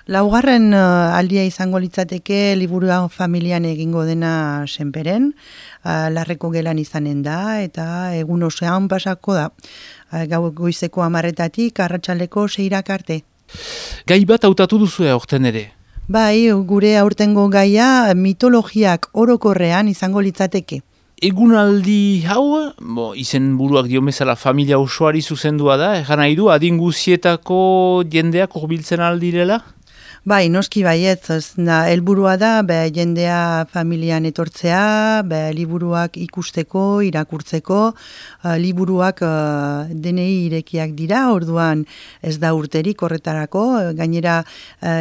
Laugarren aldia izango litzateke liburua familian egingo dena senperen, larreko gelan izanen da, eta egun osoan pasako da. Goizeko 10:00 arratsaldeko 6:00 arte. Gai bat hautatu duzu aurten ere? Bai, gure aurtengo gaia mitologiak orokorrean izango litzateke. Egunaldi hau, izen buruak diomezala familia osoari zuzendua da, egan nahi du, adin guzietako jendeak hurbiltzen aldirela? Bai, noski baietz, helburua da jendea familian etortzea, liburuak ikusteko, irakurtzeko, liburuak denei irekiak dira, orduan ez da urterik horretarako, gainera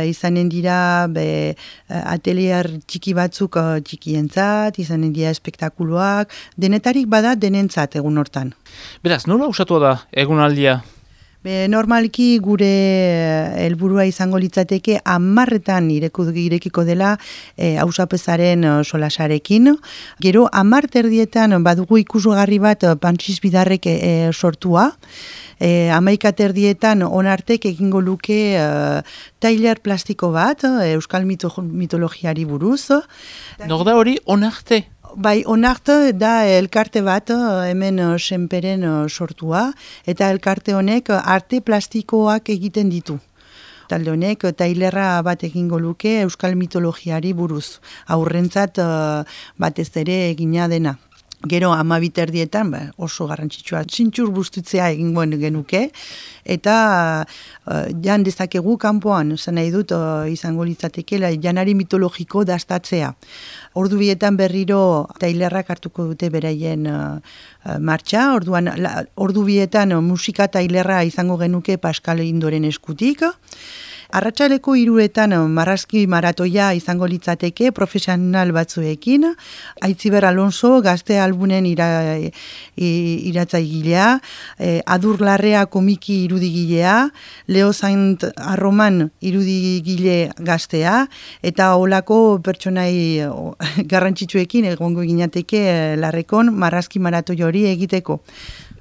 izanen dira atelier txiki batzuk txikientzat, izanen dira espektakuluak, denetarik bada denentzat egun hortan. Beraz, nola usatua da egunaldia? Normalki gure helburua izango litzateke 10:00 irekiko dela hausapezaren solasarekin. Gero 10:30 badugu ikusgarri bat Pantxis Bidarrek sortua. 11:30 onartek egingo luke tailer plastiko bat, euskal mitologiari buruz. Nor da hori onarte? Bai, onarte da elkarte bat hemen senperen sortua, eta elkarte honek arte plastikoak egiten ditu. Talde honek tailerra bat egingo luke euskal mitologiari buruz, aurrentzat batez ere egina dena. Gero 12:30 oso garrantzitsua txintxur bustutzea egingo genuke, eta jan dezakegu kanpoan, esan nahi dut izango litzatekela janari mitologiko dastatzea. Ordu bietan berriro tailerrak hartuko dute beraien martxa, ordu bietan musika tailerra izango genuke Pascal Indoren eskutik. Arratsaleko 3:00 marrazki maratoia izango litzateke profesional batzuekin, Aitziber Alonso gazte albunen iratzaigilea, Adur Larrea komiki irudigilea, Leo Saint Arroman irudigile gaztea, eta olako pertsonai garrantzitsuekin egongo ginateke larrekon marrazki maratoi hori egiteko.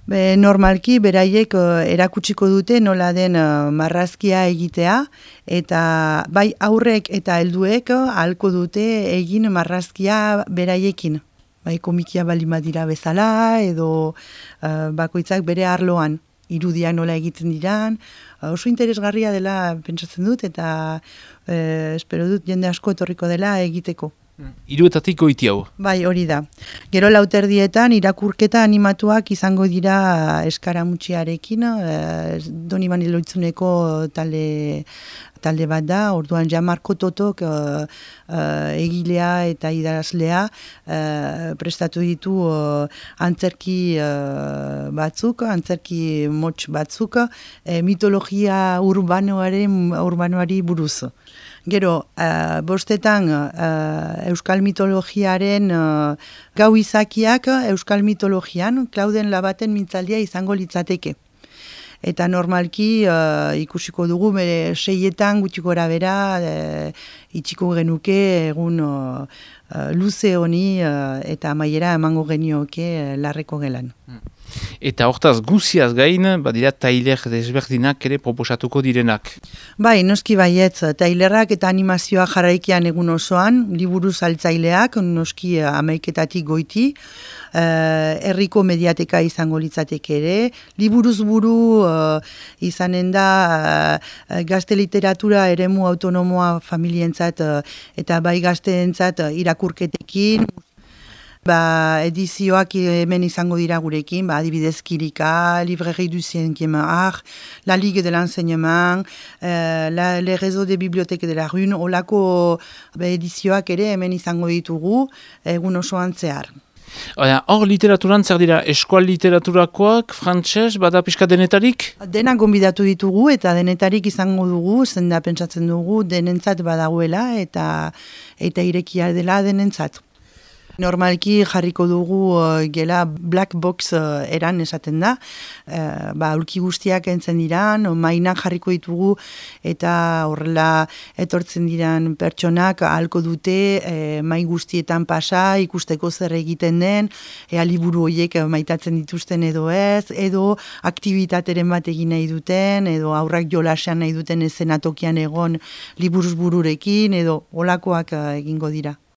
Normalki beraiek erakutsiko dute nola den marrazkia egitea, eta bai aurrek eta helduek ahalko dute egin marrazkia beraiekin. Bai komikia balima dira bezala, edo bakoitzak bere arloan, irudiak nola egiten diran, oso interesgarria dela pentsatzen dut, eta espero dut jende asko etorriko dela egiteko. 3:00 goiti hau. Bai, hori da. Gero 4:00 irakurketa animatuak izango dira eskaramutxiarekin, Donibane Loitzuneko talde bat da, orduan Jamarko Totok egilea eta idazlea prestatu ditu antzerki batzuk, antzerki motx batzuk, mitologia urbanoari buruz. Gero, 5:00 euskal mitologiaren gau izakiak euskal mitologian, Klauden Labaten mintzaldia izango litzateke. Eta normalki ikusiko dugu, 6:00 gutxi gora bera, itxiko genuke egun luze honi eta amaiera emango genioke larreko gelan. Eta hortaz guziaz gain, badira tailer desberdinak ere proposatuko direnak. Bai, noski baietz, tailerrak eta animazioa jarraikian egun osoan, liburu saltzaileak, noski 11:00 goiti, herriko mediateka izango litzateke ere, liburuz buru izanen da gazte literatura eremu autonomoa familientzat eta bai gazteentzat irakurketekin, edizioak hemen izango dira gurekin, adibidez Kirika, Librairie du 5e art, La Ligue de l'Enseignement, les réseaux de bibliothèques de la Rune, olako edizioak ere hemen izango ditugu egun osoan zehar. Hor literaturan zer dira, eskual literaturakoak, frantses, bada pixka denetarik? Dena gonbidatu ditugu eta denetarik izango dugu, zenda pentsatzen dugu denentzat badagoela eta irekia dela denentzat. Normalki jarriko dugu gela black box eran esaten da. Aulki guztiak entzen diran, mainak jarriko ditugu eta horrela etortzen diran pertsonak ahalko dute mai guztietan pasa, ikusteko zer egiten den, liburu horiek maitatzen dituzten edo ez, edo aktivitateren bat egin nahi duten, edo aurrak jolasean nahi duten eszenatokian egon liburuz bururekin, edo olakoak egingo dira.